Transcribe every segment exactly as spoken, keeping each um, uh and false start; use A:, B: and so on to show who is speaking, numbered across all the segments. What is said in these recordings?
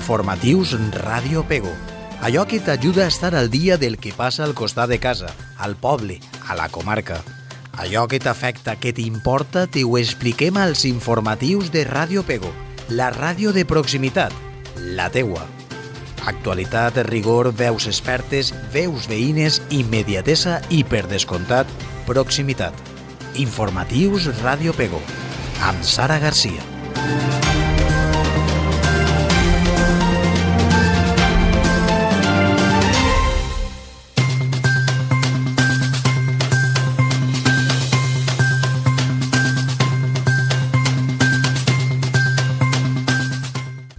A: Informatius Ràdio Pego. Allò que t'ajuda a estar al dia del que passa al costat de casa, al poble, a la comarca. Allò que t'afecta, que t'importa, t'ho expliquem als informatius de Ràdio Pego, la ràdio de proximitat, la teua. Actualitat, rigor, veus expertes, veus veïnes, immediatesa i, per descomptat, proximitat. Informatius Ràdio Pego, amb Sara Garcia.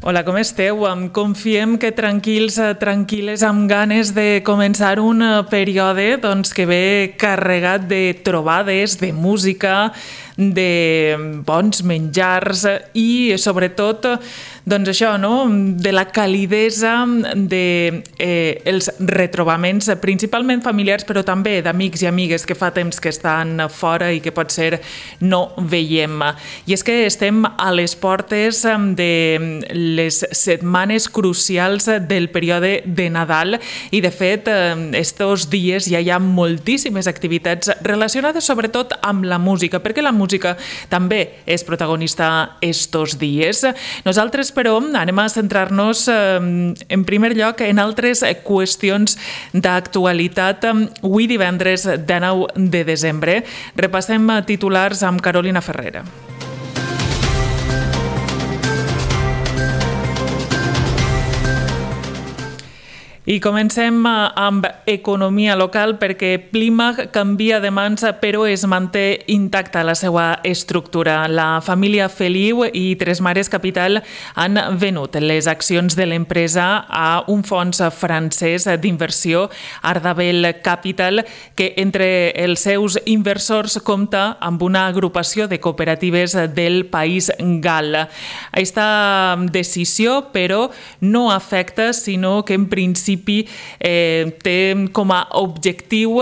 B: Hola, com esteu? Confiem que tranquils, tranquil·les, amb ganes de començar un període doncs, que ve carregat de trobades, de música, de bons menjars i, sobretot, doncs això, no? de la calidesa de eh, els retrobaments, principalment familiars, però també d'amics i amigues que fa temps que estan fora i que potser no veiem. I és que estem a les portes de les setmanes crucials del període de Nadal i, de fet, estos dies ja hi ha moltíssimes activitats relacionades sobretot amb la música, perquè la música també és protagonista estos dies. Nosaltres, però, anem a centrar-nos en primer lloc en altres qüestions d'actualitat. Avui, divendres dinou de desembre, repassem titulars amb Carolina Ferrera. I comencem amb economia local perquè Plimag canvia de mans però es manté intacta la seva estructura. La família Feliu i Tres Mares Capital han venut les accions de l'empresa a un fons francès d'inversió, Ardabel Capital, que entre els seus inversors compta amb una agrupació de cooperatives del País Gal. Aquesta decisió, però, no afecta, sinó que en principi Eh, té com a objectiu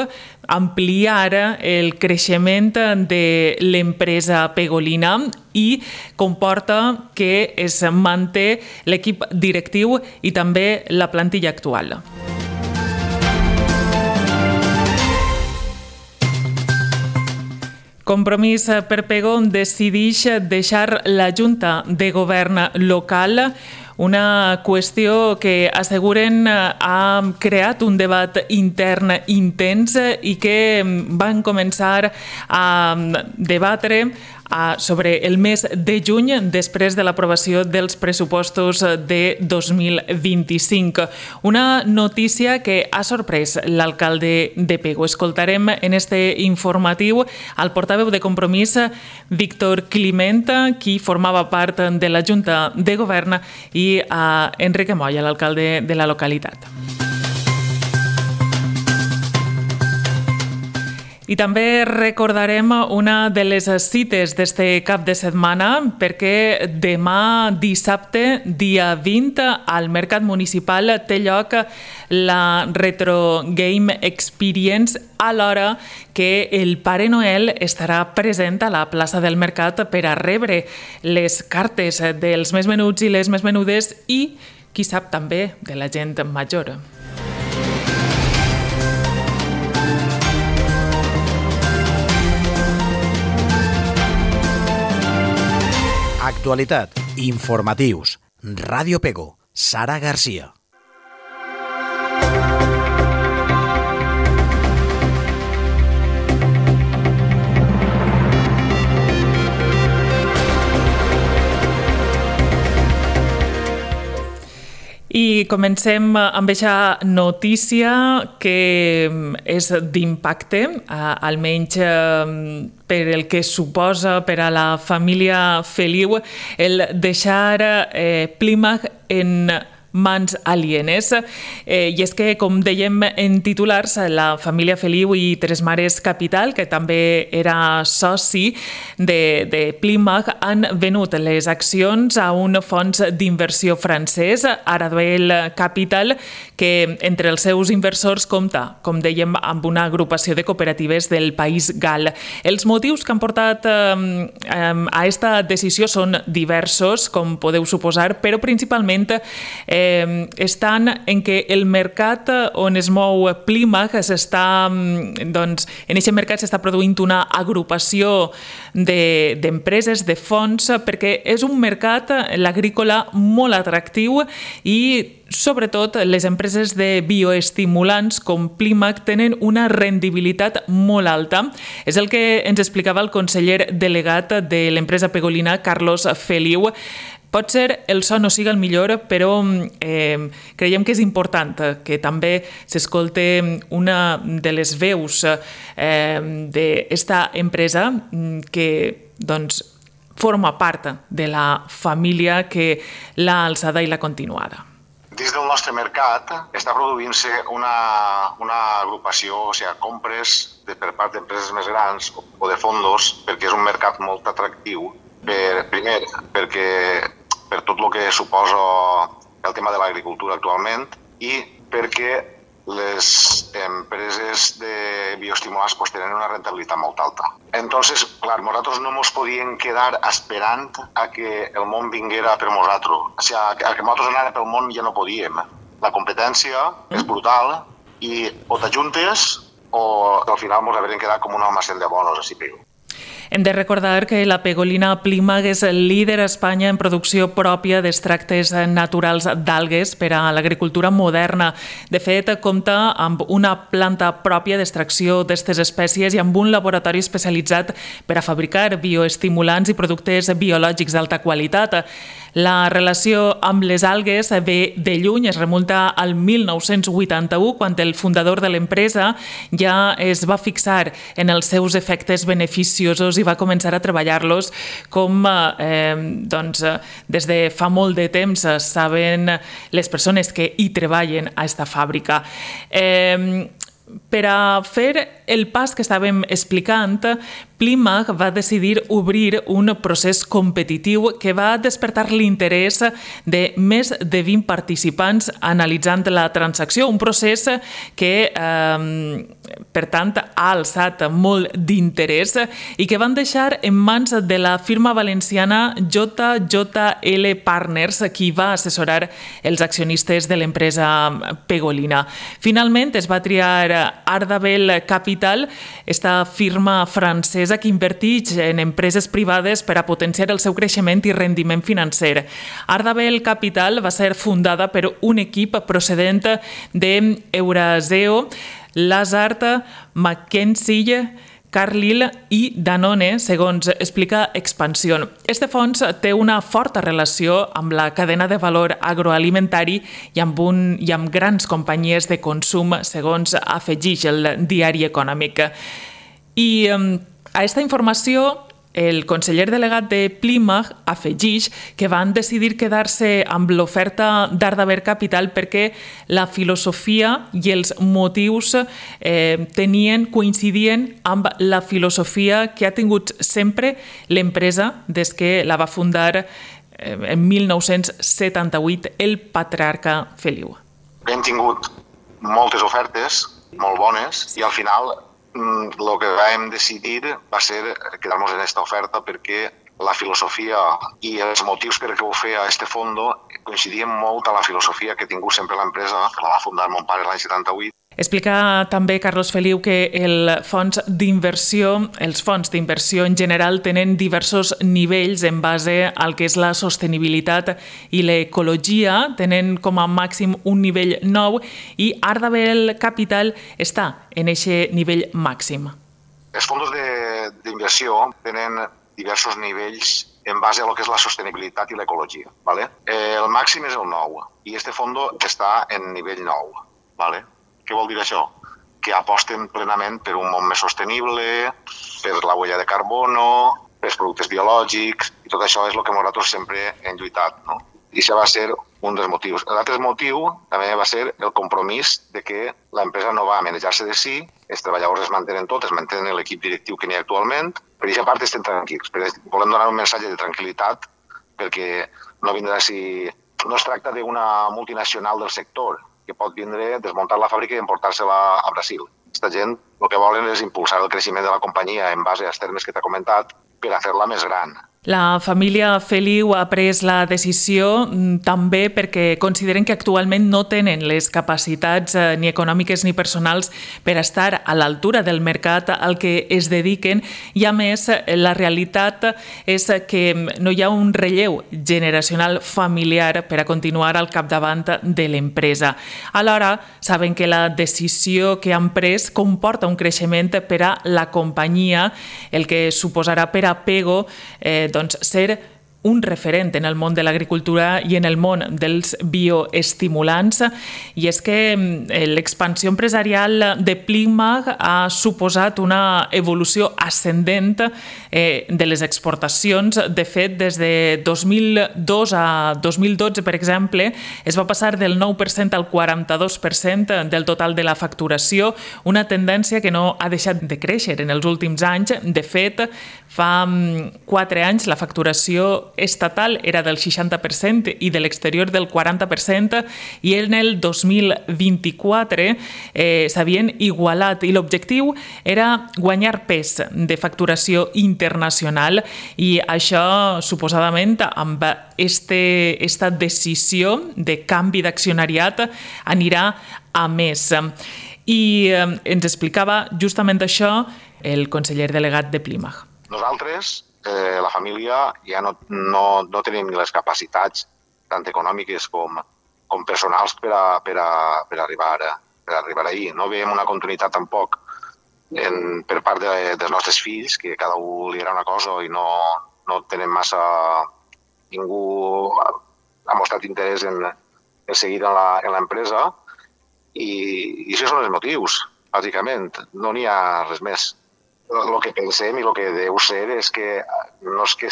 B: ampliar el creixement de l'empresa pegolina i comporta que es manté l'equip directiu i també la plantilla actual. Compromís per Pego decideix deixar la Junta de Govern local, una qüestió que asseguren ha creat un debat intern intens i que van començar a debatre sobre el mes de juny després de l'aprovació dels pressupostos de dos mil vint-i-cinc. Una notícia que ha sorprès l'alcalde de Pego. Escoltarem en este informatiu al portaveu de Compromís, Víctor Climent, qui formava part de la Junta de Govern, i a Enrique Moya, l'alcalde de la localitat. I també recordarem una de les cites d'este cap de setmana perquè demà dissabte, dia vint, al Mercat Municipal té lloc la Retro Game Experience, alhora que el Pare Noel estarà present a la plaça del Mercat per a rebre les cartes dels més menuts i les més menudes i, qui sap, també de la gent major.
A: Actualitat, informatius, Ràdio Pego, Sara Garcia.
B: I comencem amb aquesta notícia que és d'impacte, almenys per el que suposa per a la família Feliu el deixar Plimag en mans alienes. Eh, I és que, com dèiem en titulars, la família Feliu i Tres Mares Capital, que també era soci de, de Plymouth, han venut les accions a un fons d'inversió francès, Arabel Capital, que entre els seus inversors compta, com dèiem, amb una agrupació de cooperatives del País Gal. Els motius que han portat eh, a aquesta decisió són diversos, com podeu suposar, però principalment eh, estan en què el mercat on es mou Plymouth s'està, doncs, en aquest mercat s'està produint una agrupació d'empreses, de, de fons, perquè és un mercat, l'agrícola, molt atractiu i sobretot les empreses de bioestimulants com Plymouth tenen una rendibilitat molt alta. És el que ens explicava el conseller delegat de l'empresa pegolina, Carlos Feliu. Pot ser el so no siga el millor, però eh, creiem que és important que també s'escolte una de les veus eh, d'esta empresa que doncs, forma part de la família que l'ha alçada i l'ha continuada.
C: Dins del nostre mercat està produint-se una, una agrupació, o sigui, compres de, per part d'empreses més grans o de fondos, perquè és un mercat molt atractiu. Per, primer, perquè per tot el que suposa el tema de l'agricultura actualment i perquè les empreses de bioestimulants pues, tenen una rentabilitat molt alta. Entonces, clar, nosaltres no ens podíem quedar esperant a que el món vinguera per nosaltres. O sigui, a que nosaltres anàrem pel món ja no podíem. La competència és brutal i o t'ajuntes o al final ens haurem quedat com un almacén de bonos, així pego.
B: Hem de recordar que la pegolina Plymouth és el líder a Espanya en producció pròpia d'extractes naturals d'algues per a l'agricultura moderna. De fet, compta amb una planta pròpia d'extracció d'aquestes espècies i amb un laboratori especialitzat per a fabricar bioestimulants i productes biològics d'alta qualitat. La relació amb les algues ve de lluny, es remunta al mil nou-cents vuitanta-u, quan el fundador de l'empresa ja es va fixar en els seus efectes beneficiosos i va començar a treballar-los com eh, doncs, des de fa molt de temps saben les persones que hi treballen a aquesta fàbrica. Eh, Per a fer el pas que estàvem explicant, Plymouth va decidir obrir un procés competitiu que va despertar l'interès de més de vint participants analitzant la transacció, un procés que, eh, per tant, ha alçat molt d'interès i que van deixar en mans de la firma valenciana J J L Partners, qui va assessorar els accionistes de l'empresa pegolina. Finalment, es va triar Arabel Capital, esta firma francesa que inverteix en empreses privades per a potenciar el seu creixement i rendiment financer. Arabel Capital va ser fundada per un equip procedent d'Euraseo, Lazard, McKinsey, Carlyle i Danone, segons explica Expansión. Este fons té una forta relació amb la cadena de valor agroalimentari i amb, un, i amb grans companyies de consum, segons afegeix el diari Econòmic. I a aquesta informació, el conseller delegat de Plymouth afegeix que van decidir quedar-se amb l'oferta d'Arabel Capital perquè la filosofia i els motius eh, tenien, coincidien amb la filosofia que ha tingut sempre l'empresa des que la va fundar eh, en mil nou-cents setanta-vuit el patriarca Feliu.
C: Hem tingut moltes ofertes, molt bones, i al final el que vam decidir va ser quedar-nos en aquesta oferta perquè la filosofia i els motius per què ho feia este fondo coincidien molt amb la filosofia que ha tingut sempre l'empresa, que la va fundar mon pare l'any setanta-vuit.
B: Explica també Carlos Feliu que el fons d'inversió, els fons d'inversió en general tenen diversos nivells en base al que és la sostenibilitat i l'ecologia, tenen com a màxim un nivell nou i Arabel Capital està en aquest nivell màxim.
C: Els fons d'inversió tenen diversos nivells en base a lo que és la sostenibilitat i l'ecologia. ¿vale? El màxim és el nou i este fondo està en nivell nou. ¿vale? Què vol dir això? Que aposten plenament per un món més sostenible, per la huella de carbono, per productes biològics, i tot això és el que nosaltres sempre hem lluitat. No? I això va ser un dels motius. L'altre motiu també va ser el compromís de que l'empresa no va manejar-se de si, els treballadors es mantenen tots, es mantenen l'equip directiu que n'hi ha actualment, per aquesta part estem tranquils, però volem donar un missatge de tranquil·litat perquè no vindrà si... No es tracta d'una multinacional del sector que pot vindre, desmuntar la fàbrica i emportar-se-la a Brasil. Aquesta gent el que volen és impulsar el creixement de la companyia en base als termes que t'ha comentat per a fer-la més gran.
B: La família Feliu ha pres la decisió també perquè consideren que actualment no tenen les capacitats eh, ni econòmiques ni personals per estar a l'altura del mercat al que es dediquen i, a més, la realitat és que no hi ha un relleu generacional familiar per a continuar al capdavant de l'empresa. Alhora, saben que la decisió que han pres comporta un creixement per a la companyia, el que suposarà per a Pego eh, doncs ser un referent en el món de l'agricultura i en el món dels bioestimulants. I és que l'expansió empresarial de Plimag ha suposat una evolució ascendent eh, de les exportacions. De fet, des de dos mil dos a dos mil dotze, per exemple, es va passar del nou per cent al quaranta-dos per cent del total de la facturació, una tendència que no ha deixat de créixer en els últims anys. De fet, fa quatre anys la facturació estatal era del seixanta per cent i de l'exterior del quaranta per cent, i en el dos mil vint-i-quatre eh, s'havien igualat i l'objectiu era guanyar pes de facturació internacional, i això suposadament amb este, esta decisió de canvi d'accionariat anirà a més. I eh, ens explicava justament això el conseller delegat de Plimag.
C: Nosaltres, eh, la família, ja no, no, no tenim les capacitats tant econòmiques com, com personals per, a, per, a, per, arribar, per arribar ahir. No veiem una continuïtat tampoc en, per part de, dels nostres fills, que cada un li agrada una cosa i no, no tenen massa... Ningú ha, ha mostrat interès en, en seguir en l'empresa, i, i això són els motius, bàsicament. No n'hi ha res més. El que pensem i el que deu ser és que no és que,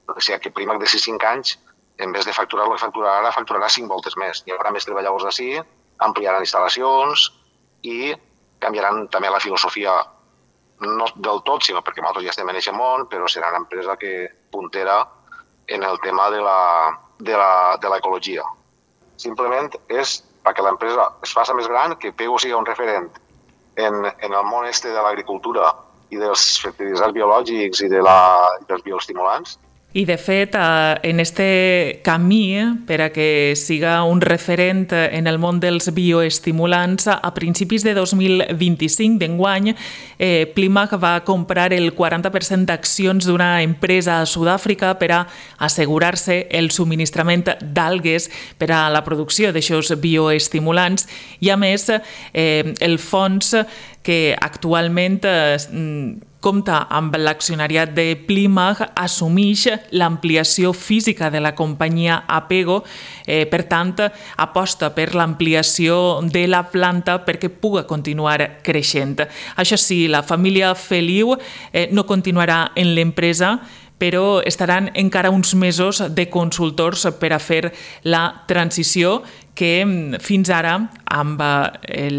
C: o sigui, que Plimag de cinc anys, en vez de facturar el que facturarà ara, facturarà cinc voltes més. Hi haurà més treballadors d'ací, ampliaran instal·lacions i canviaran també la filosofia, no del tot, sinó perquè nosaltres ja estem en aquest món, però serà una empresa que puntera en el tema de la, de la, de l'ecologia. Simplement és perquè l'empresa es faci més gran, que Pego sigui un referent en, en el món este de l'agricultura i dels fertilitzants biològics i de la, dels bioestimulants.
B: I, de fet, en este camí, per a que siga un referent en el món dels bioestimulants, a principis de dos mil vint-i-cinc, d'enguany, eh, Plimag va comprar el quaranta per cent d'accions d'una empresa a Sud-àfrica per a assegurar-se el subministrament d'algues per a la producció d'aixòs bioestimulants, i, a més, eh, el fons que actualment eh, compta amb l'accionariat de Plimag, assumeix l'ampliació física de la companyia a Pego, eh, per tant, aposta per l'ampliació de la planta perquè pugui continuar creixent. Això sí, la família Feliu eh, no continuarà en l'empresa, però estaran encara uns mesos de consultors per a fer la transició que fins ara, amb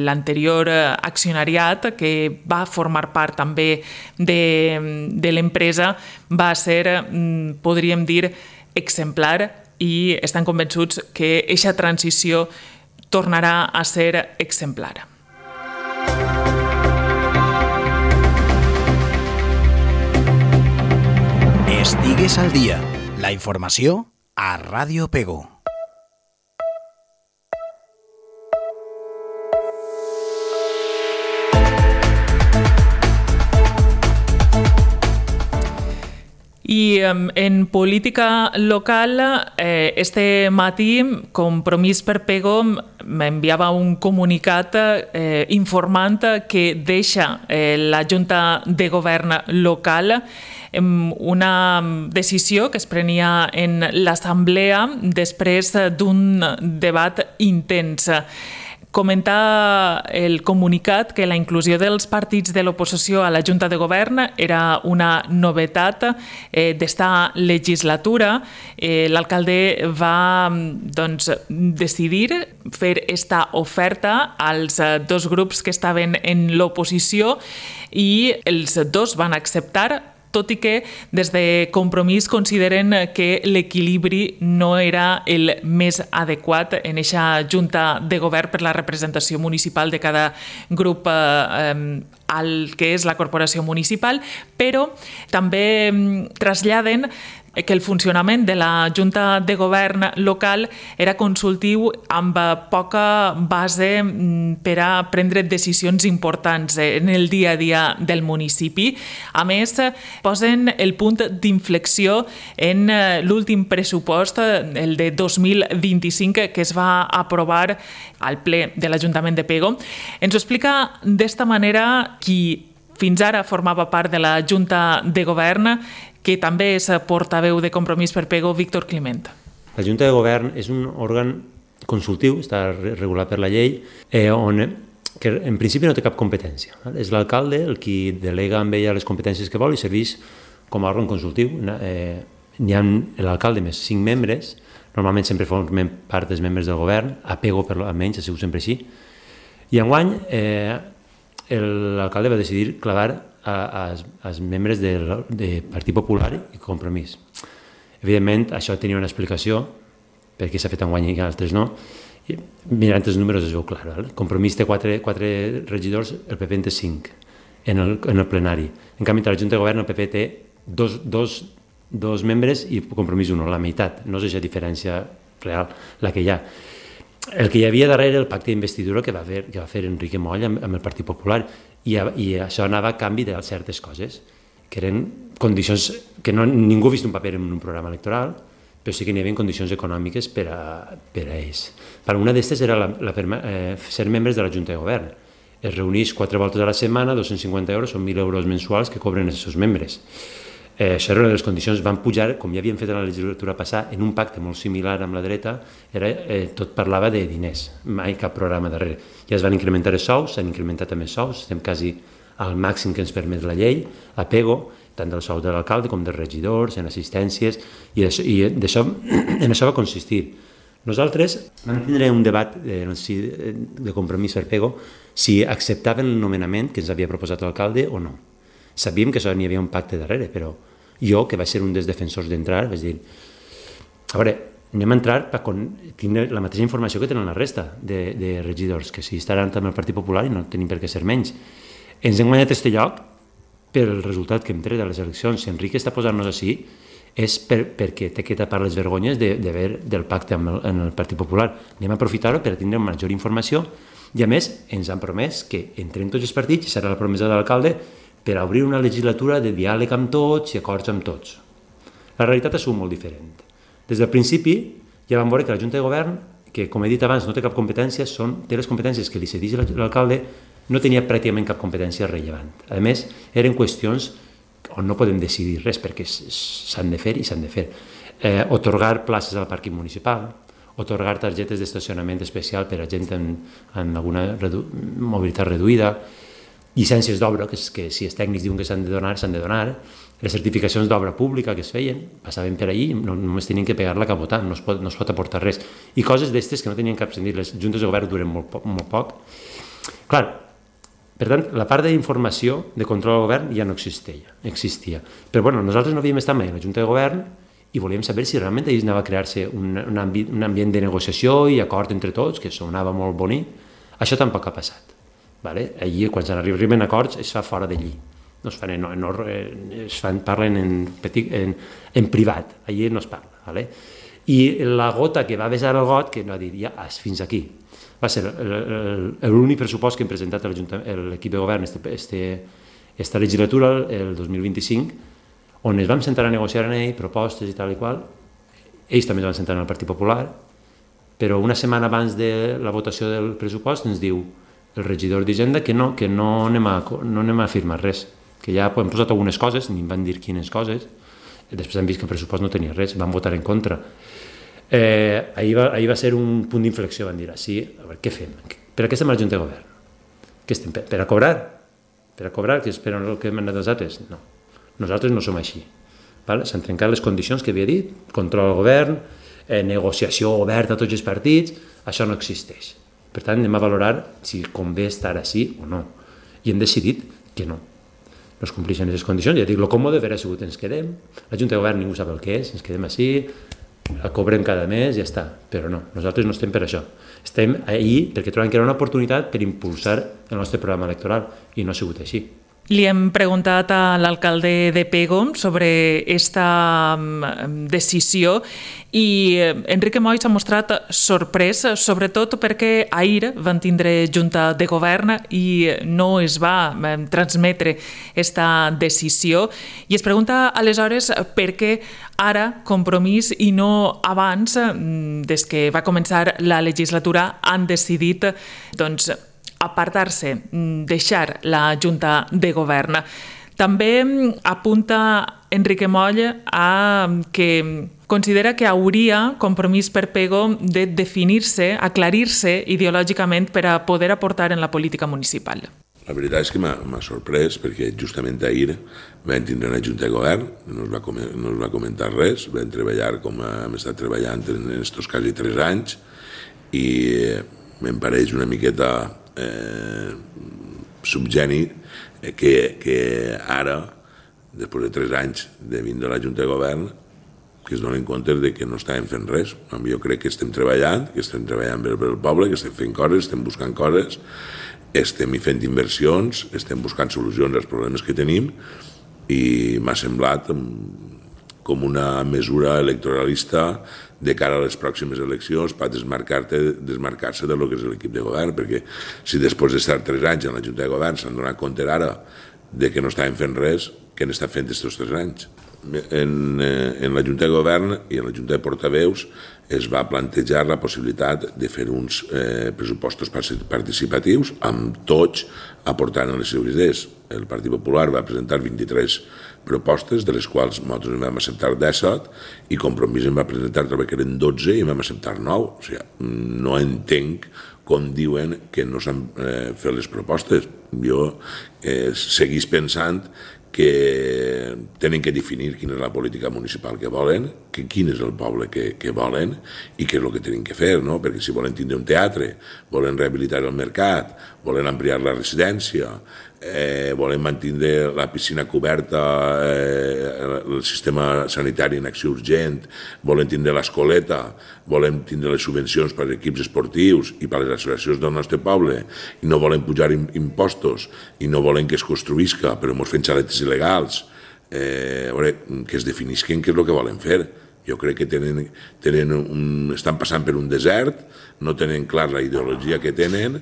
B: l'anterior accionariat, que va formar part també de, de l'empresa, va ser, podríem dir, exemplar, i estan convençuts que aquesta transició tornarà a ser exemplar.
A: Estigues al dia. La informació a Ràdio Pego.
B: I en política local, eh, este matí, Compromís per Pego m'enviava un comunicat eh, informant que deixa eh, la Junta de Govern local, una decisió que es prenia en l'Assemblea després d'un debat intens. Comentar el comunicat que la inclusió dels partits de l'oposició a la Junta de Govern era una novetat eh, d'esta legislatura. Eh, L'alcalde va doncs, decidir fer esta oferta als dos grups que estaven en l'oposició i els dos van acceptar, tot i que des de Compromís consideren que l'equilibri no era el més adequat en aquesta Junta de Govern per la representació municipal de cada grup eh, al que és la corporació municipal, però també traslladen que el funcionament de la Junta de Govern local era consultiu amb poca base per a prendre decisions importants en el dia a dia del municipi. A més, posen el punt d'inflexió en l'últim pressupost, el de dos mil vint-i-cinc, que es va aprovar al ple de l'Ajuntament de Pego. Ens ho explica d'esta manera qui fins ara formava part de la Junta de Govern, que també és portaveu de Compromís per Pego, Víctor Climent.
D: La Junta de Govern és un òrgan consultiu, està regulat per la llei, eh, on que en principi no té cap competència. És l'alcalde el qui delega amb ella les competències que vol i serveix com a òrgan consultiu. Eh, N'hi ha l'alcalde més cinc membres, normalment sempre formen part dels membres del govern, a Pego per almenys, ha sigut sempre així. I enguany eh, l'alcalde va decidir clavar als membres del de Partit Popular i Compromís. Evidentment, això tenia una explicació, perquè s'ha fet enguany i altres no. I, mirant els números es veu clar. Val? Compromís té quatre, quatre regidors, el P P en té cinc en el, en el plenari. En canvi, a la Junta de Govern el P P té dos, dos, dos membres i Compromís uno, la meitat. No és aquesta diferència real la que hi ha. El que hi havia darrere el pacte d'investidura que va fer, que va fer Enrique Moll amb, amb el Partit Popular i, i això anava a canvi de certes coses, que eren condicions que no, ningú ha vist un paper en un programa electoral, però sí que n'hi havia condicions econòmiques per a, per a ells. Per una d'estes era la, la, eh, ser membres de la Junta de Govern. Es reuneix quatre voltes a la setmana, dos-cents cinquanta euros, són mil euros mensuals que cobren els seus membres. Eh, això era una de les condicions, van pujar, com ja havien fet en la legislatura passada, en un pacte molt similar amb la dreta, era, eh, tot parlava de diners, mai cap programa darrere. Ja es van incrementar els sous, s'han incrementat també els sous, estem quasi al màxim que ens permet la llei, a Pego, tant del sou de l'alcalde com dels regidors, en assistències, i, això, i d'això, en això va consistir. Nosaltres vam tindre un debat eh, de Compromís per Pego si acceptaven el nomenament que ens havia proposat l'alcalde o no. Sabíem que això n'hi havia un pacte darrere, però jo, que vaig ser un dels defensors d'entrar, vaig dir, a veure, anem a entrar per tindre la mateixa informació que tenen la resta de, de regidors, que si estaran també al Partit Popular i no tenim per què ser menys. Ens hem guanyat aquest lloc per el resultat que hem tret de les eleccions. Si Enrique està posant-nos així és per, perquè té que tapar les vergonyes de, de ver del pacte amb el, en el Partit Popular. Anem a aprofitar-ho per tindre major informació i, a més, ens han promès que entrem tots els partits, i serà la promesa de l'alcalde, per obrir una legislatura de diàleg amb tots i acords amb tots. La realitat ha sigut molt diferent. Des del principi ja vam veure que la Junta de Govern, que com he dit abans no té cap competència, són, té les competències que li cedeix l'alcalde, no tenia pràcticament cap competència rellevant. A més, eren qüestions on no podem decidir res perquè s'han de fer i s'han de fer. Eh, otorgar places al pàrquing municipal, otorgar targetes d'estacionament especial per a gent amb, amb alguna redu mobilitat reduïda, llicències d'obra, que, que si els tècnics diuen que s'han de donar, s'han de donar, les certificacions d'obra pública que es feien, passaven per allí, no, només tenien que pegar la capotar, no es pot, no es pot aportar res. I coses d'estes que no tenien cap sentit, les juntes de govern duren molt, poc, molt poc. Clar, per tant, la part d'informació, de control del govern, ja no existia. existia. Però bueno, nosaltres no havíem estat mai a la Junta de Govern i volíem saber si realment allà anava a crear-se un, un, ambi un ambient de negociació i acord entre tots, que sonava molt bonic. Això tampoc ha passat. Vale? Allí, quan s'arriben a acords, es fa fora d'allí. No es fan, no, no, es fan, parlen en, petit, en, en privat, allí no es parla. Vale? I la gota que va besar el got, que no dir, ja, fins aquí. Va ser l'únic pressupost que hem presentat a l'equip de govern este, este, esta legislatura, el dos mil vint-i-cinc, on ens vam sentar a negociar en ell propostes i tal i qual. Ells també es van sentar en el Partit Popular, però una setmana abans de la votació del pressupost ens diu el regidor d'Hisenda que no, que no anem, a, no anem a firmar res, que ja hem posat algunes coses, ni em van dir quines coses, després hem vist que el pressupost no tenia res, van votar en contra. Eh, ahir, va, ahir va ser un punt d'inflexió, van dir, sí, a veure, què fem? Per a què estem a la Junta de Govern? Que estem per, per a cobrar? Per a cobrar, que esperen el que hem anat els altres? No. Nosaltres no som així. Vale? S'han trencat les condicions que havia dit, control al govern, eh, negociació oberta a tots els partits, això no existeix. Per tant, anem a valorar si convé estar així o no. I hem decidit que no. No es compleixen aquestes condicions. Ja dic, el còmode haver sigut ens quedem, la Junta de Govern ningú sap el que és, ens quedem així, la cobrem cada mes i ja està. Però no, nosaltres no estem per això. Estem ahí perquè trobem que era una oportunitat per impulsar el nostre programa electoral i no ha sigut així.
B: Li hem preguntat a l'alcalde de Pego sobre aquesta decisió i Enrique Moll s'ha mostrat sorprès, sobretot perquè ahir van tindre Junta de Govern i no es va transmetre aquesta decisió i es pregunta aleshores per què ara Compromís i no abans, des que va començar la legislatura, han decidit doncs, apartar-se, deixar la Junta de Govern. També apunta Enrique Moll a que considera que hauria Compromís per Pego de definir-se, aclarir-se ideològicament per a poder aportar en la política municipal.
E: La veritat és que m'ha sorprès perquè justament ahir vam tindre una Junta de Govern, no es va, no es va comentar res, vam treballar com hem estat treballant en aquests quasi tres anys i em pareix una miqueta Eh, subgeni que, que ara, després de tres anys de vindre a la Junta de Govern, que es donen compte de que no estàvem fent res. Jo crec que estem treballant, que estem treballant per el poble, que estem fent coses, estem buscant coses, estem fent inversions, estem buscant solucions als problemes que tenim i m'ha semblat com una mesura electoralista de cara a les pròximes eleccions per desmarcar-se desmarcar-se de lo que és l'equip de govern, perquè si després d'estar tres anys en la Junta de Govern s'han donat compte ara de que no estàvem fent res, què han estat fent aquests tres anys? En, en la Junta de Govern i en la Junta de Portaveus es va plantejar la possibilitat de fer uns eh, pressupostos participatius amb tots aportant les seves idees. El Partit Popular va presentar vint-i-tres propostes, de les quals nosaltres en vam acceptar disset i Compromís en va presentar, trobo que eren dotze i en vam acceptar nou. O sigui, no entenc com diuen que no s'han eh, fet les propostes. Jo eh, seguís pensant que tenen que definir quina és la política municipal que volen, que quin és el poble que, que volen i què és el que tenen que fer, no? Perquè si volen tindre un teatre, volen rehabilitar el mercat, volen ampliar la residència, eh, volen mantenir la piscina coberta, eh, el sistema sanitari en acció urgent, volen tindre l'escoleta, volen tindre les subvencions per als equips esportius i per a les associacions del nostre poble, i no volen pujar impostos, i no volen que es construïsca, però ens fent xaletes il·legals, eh, a veure, que es definisquen què és el que volen fer. Jo crec que tenen, tenen un, estan passant per un desert, no tenen clar la ideologia que tenen.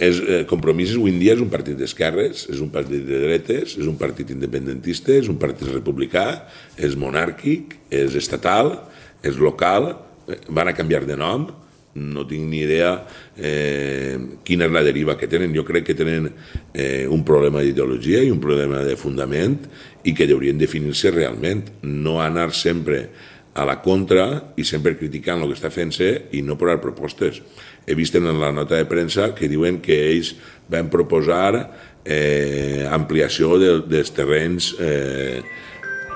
E: És, eh, Compromís avui en dia és un partit d'esquerres, és un partit de dretes, és un partit independentista, és un partit republicà, és monàrquic, és estatal, és local, eh, van a canviar de nom, no tinc ni idea eh, quina és la deriva que tenen. Jo crec que tenen eh, un problema d'ideologia i un problema de fundament i que haurien definir-se realment, no anar sempre a la contra i sempre criticant el que està fent-se i no posar propostes. He vist en la nota de premsa que diuen que ells van proposar eh, ampliació de, dels terrenys eh,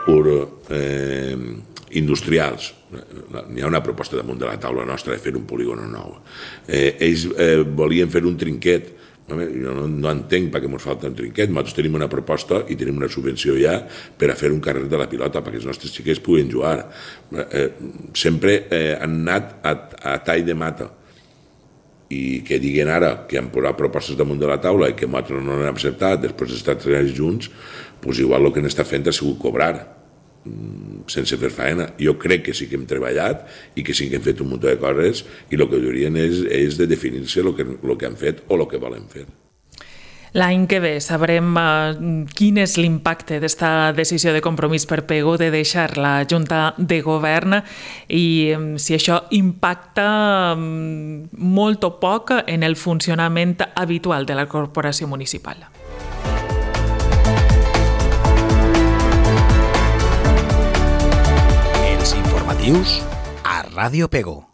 E: ur, eh, industrials. N'hi ha una proposta damunt de la taula nostra de fer un polígon nou. Eh, ells eh, volien fer un trinquet. Jo no, no entenc per què ens falta un trinquet. Nosaltres tenim una proposta i tenim una subvenció ja per a fer un carrer de la pilota perquè els nostres xiquets puguin jugar. Eh, sempre eh, han anat a, a tall de mata i que diguen ara que han posat propostes damunt de la taula i que nosaltres no n'hem acceptat després d'estar tres anys junts, doncs igual el que n'està fent ha sigut cobrar sense fer faena. Jo crec que sí que hem treballat i que sí que hem fet un munt de coses i el que haurien és, és de definir-se el que, el que han fet o el que volen fer.
B: L'any que ve sabrem uh, quin és l'impacte d'esta decisió de Compromís per Pego de deixar la Junta de Govern i um, si això impacta um, molt o poc en el funcionament habitual de la corporació municipal.
A: A Ràdio Pego.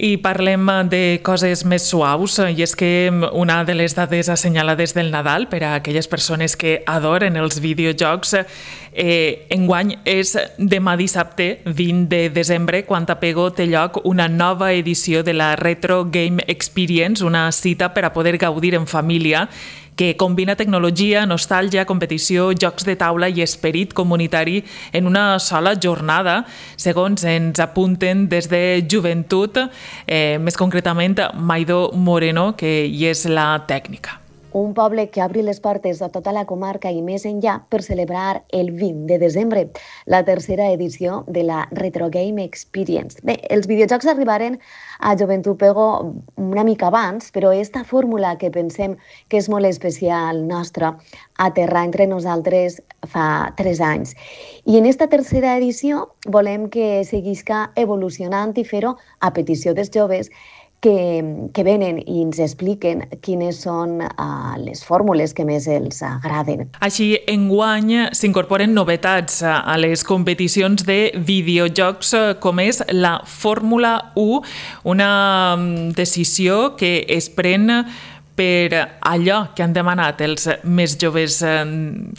B: I parlem de coses més suaus, i és que una de les dades assenyalades del Nadal per a aquelles persones que adoren els videojocs eh, enguany és demà dissabte, vint de desembre, quan a Pego té lloc una nova edició de la Retro Game Experience, una cita per a poder gaudir en família que combina tecnologia, nostàlgia, competició, jocs de taula i esperit comunitari en una sola jornada, segons ens apunten des de Joventut, eh, més concretament Maido Moreno, que hi és la tècnica.
F: Un poble que obri les portes a tota la comarca i més enllà per celebrar el vint de desembre, la tercera edició de la Retro Game Experience. Bé, els videojocs arribaren a Joventut Pego una mica abans, però esta fórmula que pensem que és molt especial nostra aterrar entre nosaltres fa tres anys. I en esta tercera edició volem que seguisca evolucionant i fer-ho a petició dels joves que, que venen i ens expliquen quines són uh, les fórmules que més els agraden.
B: Així, enguany s'incorporen novetats a les competicions de videojocs, com és la Fórmula u, una decisió que es pren per allò que han demanat els més joves,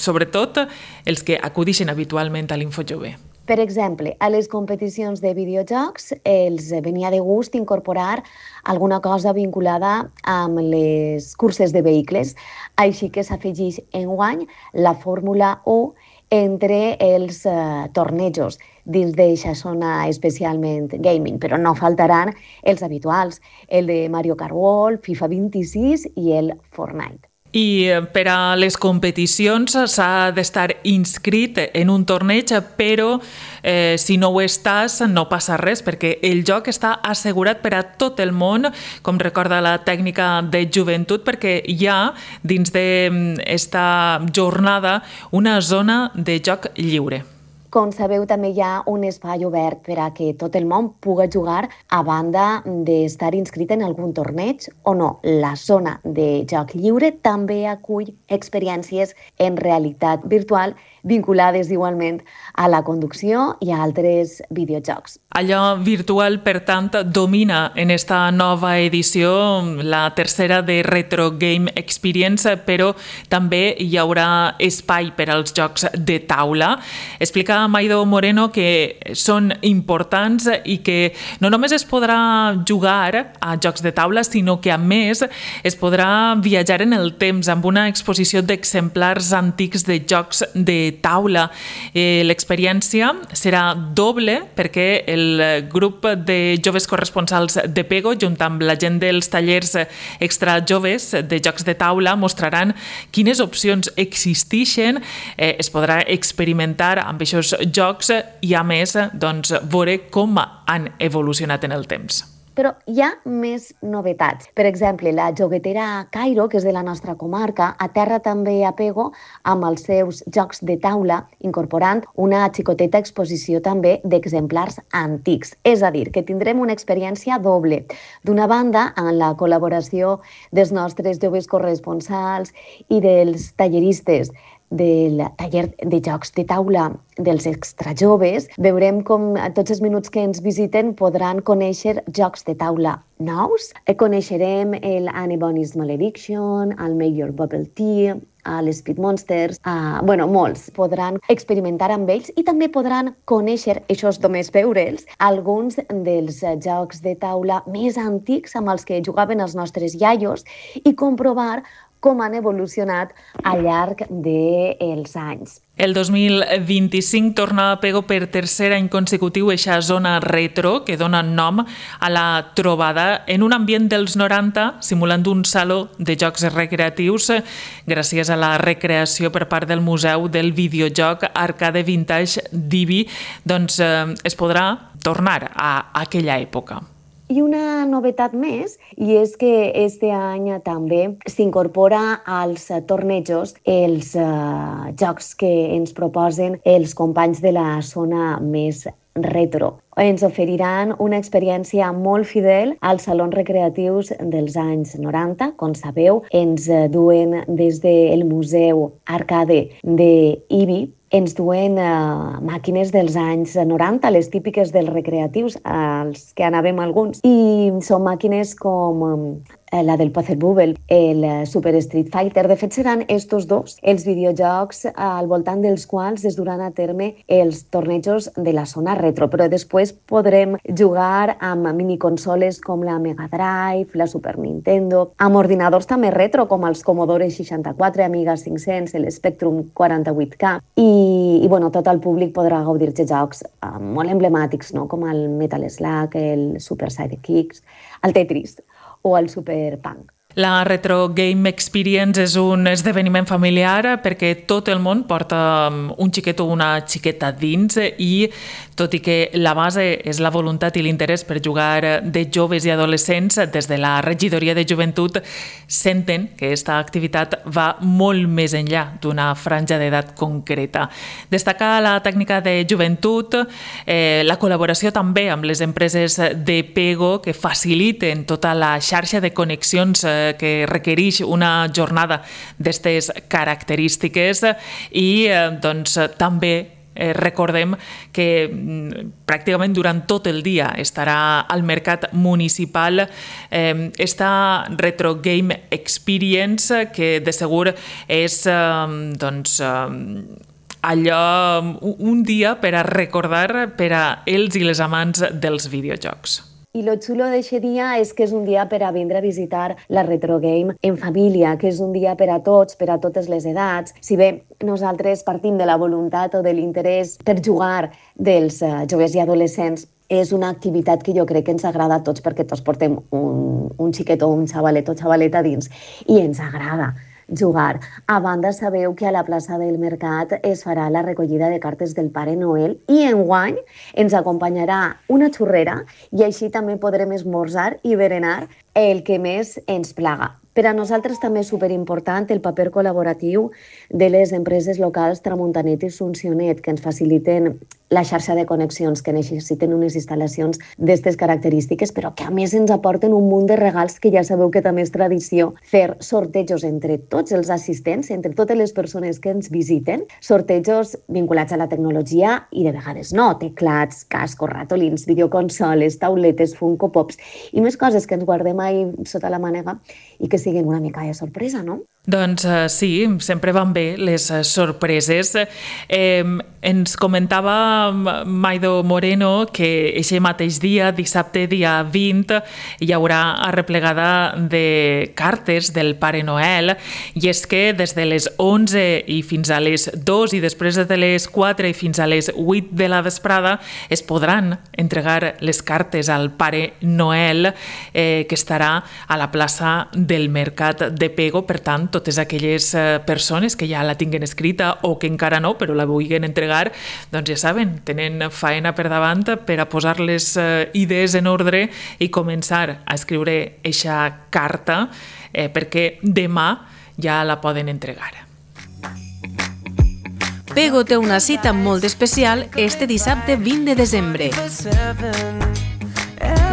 B: sobretot els que acudixen habitualment a l'Infojove.
F: Per exemple, a les competicions de videojocs els venia de gust incorporar alguna cosa vinculada amb les curses de vehicles, així que s'afegeix enguany la Fórmula u entre els eh, tornejos dins d'aquesta zona especialment gaming, però no faltaran els habituals, el de Mario Kart World, FIFA vint-i-sis i el Fortnite.
B: I per a les competicions s'ha d'estar inscrit en un torneig, però eh, si no ho estàs no passa res, perquè el joc està assegurat per a tot el món, com recorda la tècnica de Joventut, perquè hi ha dins d'esta jornada una zona de joc lliure.
F: Com sabeu, també hi ha un espai obert per a que tot el món pugui jugar a banda d'estar inscrit en algun torneig o no. La zona de joc lliure també acull experiències en realitat virtual vinculades igualment a la conducció i a altres videojocs.
B: Allò virtual, per tant, domina en esta nova edició, la tercera de Retro Game Experience, però també hi haurà espai per als jocs de taula. Explica Maido Moreno que són importants i que no només es podrà jugar a jocs de taula, sinó que a més es podrà viatjar en el temps amb una exposició d'exemplars antics de jocs de taula. Eh, l'experiència serà doble perquè el grup de joves corresponsals de Pego, junt amb la gent dels tallers extra joves de jocs de taula, mostraran quines opcions existeixen, eh, es podrà experimentar amb aquests jocs i, a més, doncs, veure com han evolucionat en el temps.
F: Però hi ha més novetats. Per exemple, la joguetera Cairo, que és de la nostra comarca, aterra també a Pego amb els seus jocs de taula, incorporant una xicoteta exposició també d'exemplars antics. És a dir, que tindrem una experiència doble. D'una banda, amb la col·laboració dels nostres joves corresponsals i dels talleristes del taller de jocs de taula dels extrajoves, veurem com tots els minuts que ens visiten podran conèixer jocs de taula nous. Coneixerem el Annie Bonny's Malediction, el Make Your Bubble Tea, l'Speed Monsters, uh, bueno, molts. Podran experimentar amb ells i també podran conèixer, això és només veure'ls, alguns dels jocs de taula més antics amb els que jugaven els nostres iaios i comprovar com han evolucionat al llarg dels anys.
B: El dos mil vint-i-cinc torna a Pego per tercer any consecutiu eixa zona retro que dona nom a la trobada en un ambient dels noranta, simulant un saló de jocs recreatius gràcies a la recreació per part del Museu del Videojoc Arcade Vintage d'Ibi, doncs eh, es podrà tornar a aquella època.
F: I una novetat més, i és que este any també s'incorpora als tornejos els uh, jocs que ens proposen els companys de la zona més retro. Ens oferiran una experiència molt fidel als salons recreatius dels anys noranta. Com sabeu, ens duen des del Museu Arcade d'Ibi ens duen uh, màquines dels anys noranta, les típiques dels recreatius, als que anàvem alguns. I són màquines com um, la del Pazzerbubble, el Super Street Fighter. De fet, seran estos dos els videojocs al voltant dels quals es duran a terme els tornejos de la zona retro, però després podrem jugar amb miniconsoles com la Mega Drive, la Super Nintendo, amb ordinadors també retro com els Commodore seixanta-quatre, Amiga cinc-cents, el Spectrum quaranta-vuit K, i, i bueno, tot el públic podrà gaudir de jocs uh, molt emblemàtics, no? Com el Metal Slug, el Super Sidekicks, el Tetris o el Super Punk.
B: La Retro Game Experience és un esdeveniment familiar perquè tot el món porta un xiquet o una xiqueta dins i, tot i que la base és la voluntat i l'interès per jugar de joves i adolescents, des de la regidoria de joventut senten que aquesta activitat va molt més enllà d'una franja d'edat concreta. Destacar la tècnica de joventut, eh, la col·laboració també amb les empreses de Pego que faciliten tota la xarxa de connexions eh, que requereix una jornada d'aquestes característiques i eh, doncs, també eh, recordem que mm, pràcticament durant tot el dia estarà al mercat municipal eh, esta Retro Game Experience que de segur és eh, doncs, eh, allò, un dia per a recordar per a ells i les amants dels videojocs.
F: I lo xulo d'aquest dia és que és un dia per a vindre a visitar la Retro Game en família, que és un dia per a tots, per a totes les edats. Si bé nosaltres partim de la voluntat o de l'interès per jugar dels uh, joves i adolescents, és una activitat que jo crec que ens agrada a tots perquè tots portem un, un xiquet o un xavalet o xavaleta dins i ens agrada jugar. A banda, sabeu que a la plaça del Mercat es farà la recollida de cartes del Pare Noel i enguany ens acompanyarà una xurrera i així també podrem esmorzar i berenar el que més ens plaga. Per a nosaltres també és superimportant el paper col·laboratiu de les empreses locals Tramuntanet i Suncionet, que ens faciliten la xarxa de connexions, que necessiten unes instal·lacions d'aquestes característiques, però que a més ens aporten un munt de regals que ja sabeu que també és tradició fer sortejos entre tots els assistents, entre totes les persones que ens visiten, sortejos vinculats a la tecnologia i de vegades no, teclats, cascos, ratolins, videoconsoles, tauletes, Funko Pops i més coses que ens guardem ahí sota la mànega i que siguin una mica de sorpresa, no?
B: Doncs uh, sí, sempre van bé les uh, sorpreses. Eh, ens comentava Maido Moreno que aquest mateix dia, dissabte dia vint, hi haurà arreplegada de cartes del Pare Noel i és que des de les onze i fins a les dos i després de les quatre i fins a les vuit de la vesprada es podran entregar les cartes al Pare Noel eh, que estarà a la plaça del Mercat de Pego. Per tant, totes aquelles persones que ja la tinguen escrita o que encara no, però la vulguin entregar, doncs ja saben, tenen faena per davant per a posar les idees en ordre i començar a escriure eixa carta eh, perquè demà ja la poden entregar.
G: Pego té una cita molt especial este dissabte vint de desembre.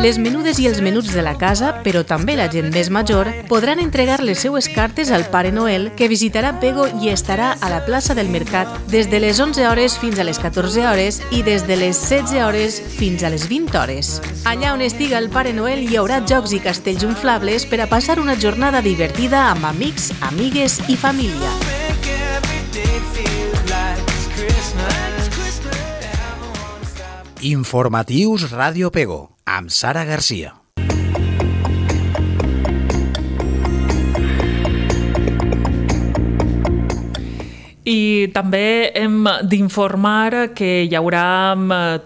G: Les menudes i els menuts de la casa, però també la gent més major, podran entregar les seues cartes al Pare Noel, que visitarà Pego i estarà a la plaça del Mercat des de les onze hores fins a les catorze hores i des de les setze hores fins a les vint hores. Allà on estiga el Pare Noel hi haurà jocs i castells inflables per a passar una jornada divertida amb amics, amigues i família.
A: Informatius Ràdio Pego, amb Sara Garcia.
B: I també hem d'informar que hi haurà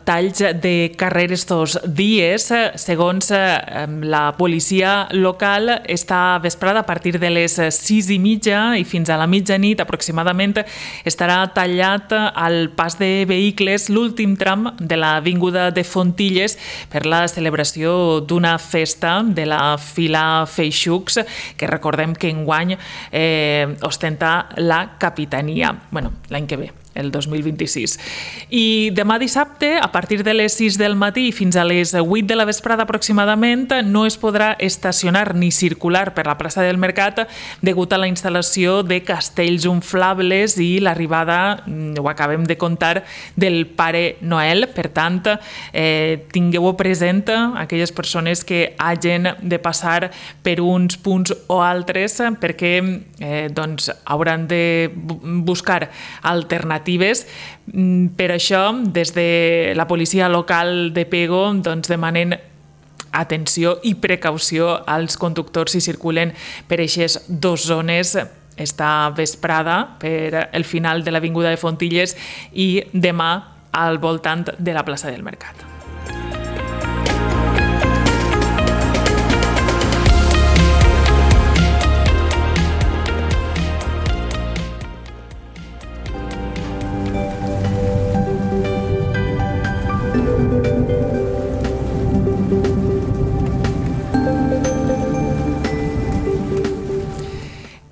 B: talls de carrer estos dies. Segons la policia local, esta vesprada a partir de les sis i mitja i fins a la mitjanit aproximadament estarà tallat al pas de vehicles l'últim tram de l'avinguda de Fontilles per la celebració d'una festa de la Fila Feixucs, que recordem que enguany eh, ostenta la capitania. Bueno, l'any que ve el dos mil vint-i-sis. I demà dissabte, a partir de les sis del matí fins a les vuit de la vesprada aproximadament, no es podrà estacionar ni circular per la plaça del Mercat degut a la instal·lació de castells inflables i l'arribada, ho acabem de contar, del Pare Noel. Per tant, eh, tingueu-ho present aquelles persones que hagin de passar per uns punts o altres perquè eh, doncs, hauran de buscar alternatives. Per això, des de la policia local de Pego doncs, demanen atenció i precaució als conductors si circulen per aquestes dues zones esta vesprada per el final de l'avinguda de Fontilles i demà al voltant de la plaça del Mercat.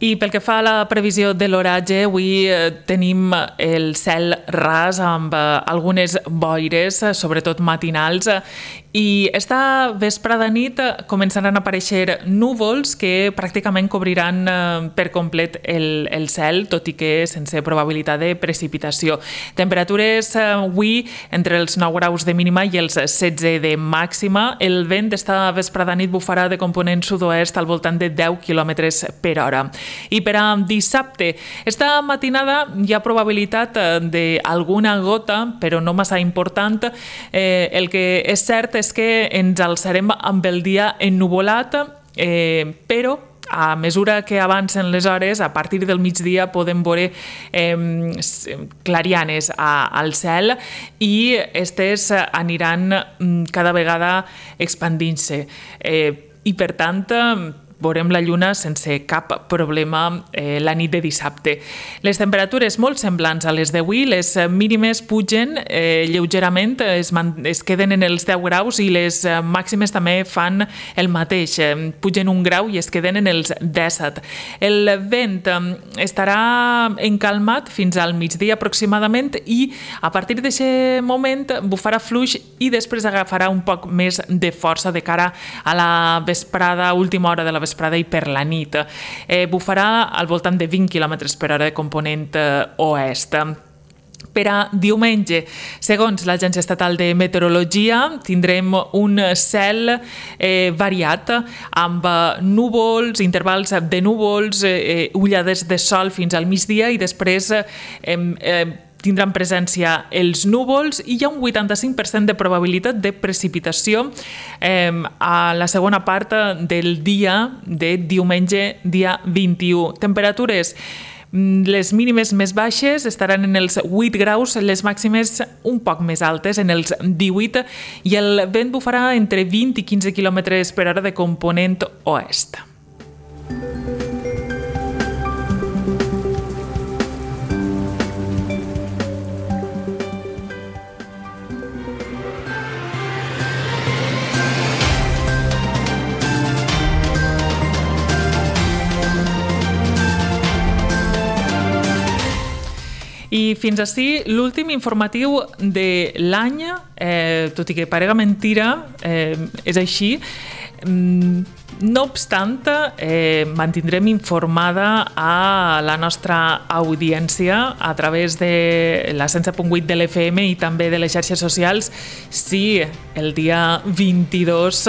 B: I pel que fa a la previsió de l'oratge, avui tenim el cel ras amb algunes boires, sobretot matinals, i esta vesprada nit començaran a aparèixer núvols que pràcticament cobriran per complet el, el cel, tot i que sense probabilitat de precipitació. Temperatures avui entre els nou graus de mínima i els setze de màxima. El vent d'esta vesprada nit bufarà de component sud-oest al voltant de deu quilòmetres per hora. I per a dissabte, esta matinada hi ha probabilitat d'alguna gota, però no massa important. Eh, el que és cert és que ens alçarem amb el dia ennuvolat, eh, però a mesura que avancen les hores, a partir del migdia podem veure eh, clarianes a, al cel i aquestes aniran cada vegada expandint-se. Eh, I per tant, veurem la lluna sense cap problema eh, la nit de dissabte. Les temperatures molt semblants a les d'avui, les mínimes pugen eh, lleugerament, es, es queden en els deu graus i les màximes també fan el mateix, eh, pugen un grau i es queden en els disset. El vent eh, estarà encalmat fins al migdia aproximadament i a partir d'aquest moment bufarà fluix i després agafarà un poc més de força de cara a la vesprada, última hora de la vesprada i per la nit. Eh, bufarà al voltant de vint quilòmetres per hora de component eh, oest. Per a diumenge, segons l'Agència Estatal de Meteorologia, tindrem un cel eh, variat amb núvols, intervals de núvols, eh, ullades de sol fins al migdia i després eh, eh, tindran presència els núvols i hi ha un vuitanta-cinc per cent de probabilitat de precipitació eh, a la segona part del dia de diumenge, dia vint-i-u. Temperatures, les mínimes més baixes estaran en els vuit graus, les màximes un poc més altes, en els divuit, i el vent bufarà entre vint i quinze quilòmetres per hora de component oest. I fins ací l'últim informatiu de l'any, eh, tot i que parega mentira, eh, és així. No obstant, eh, mantindrem informada a la nostra audiència a través de la cent set punt vuit de l'F M i també de les xarxes socials si el dia vint-i-dos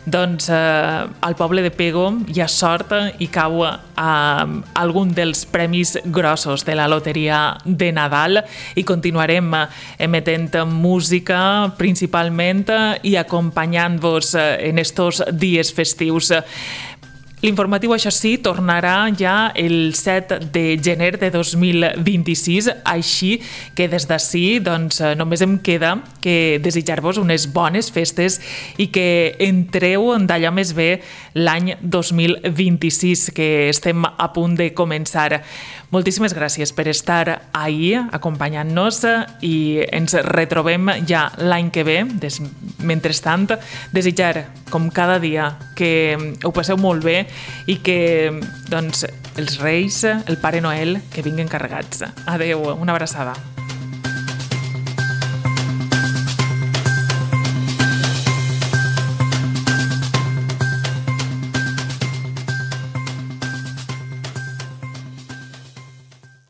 B: doncs, eh, al poble de Pego hi ha sort i cau a algun dels premis grossos de la loteria de Nadal i continuarem emetent música principalment i acompanyant-vos en estos dies festius. L'informatiu, això sí, tornarà ja el set de gener de dos mil vint-i-sis, així que des d'ací doncs, només em queda que desitjar-vos unes bones festes i que entreu d'allò més bé l'any dos mil vint-i-sis, que estem a punt de començar. Moltíssimes gràcies per estar ahí acompanyant-nos i ens retrobem ja l'any que ve. Des, mentrestant, desitjar, com cada dia, que ho passeu molt bé i que doncs, els Reis, el Pare Noel, que vinguin carregats. Adeu, una abraçada.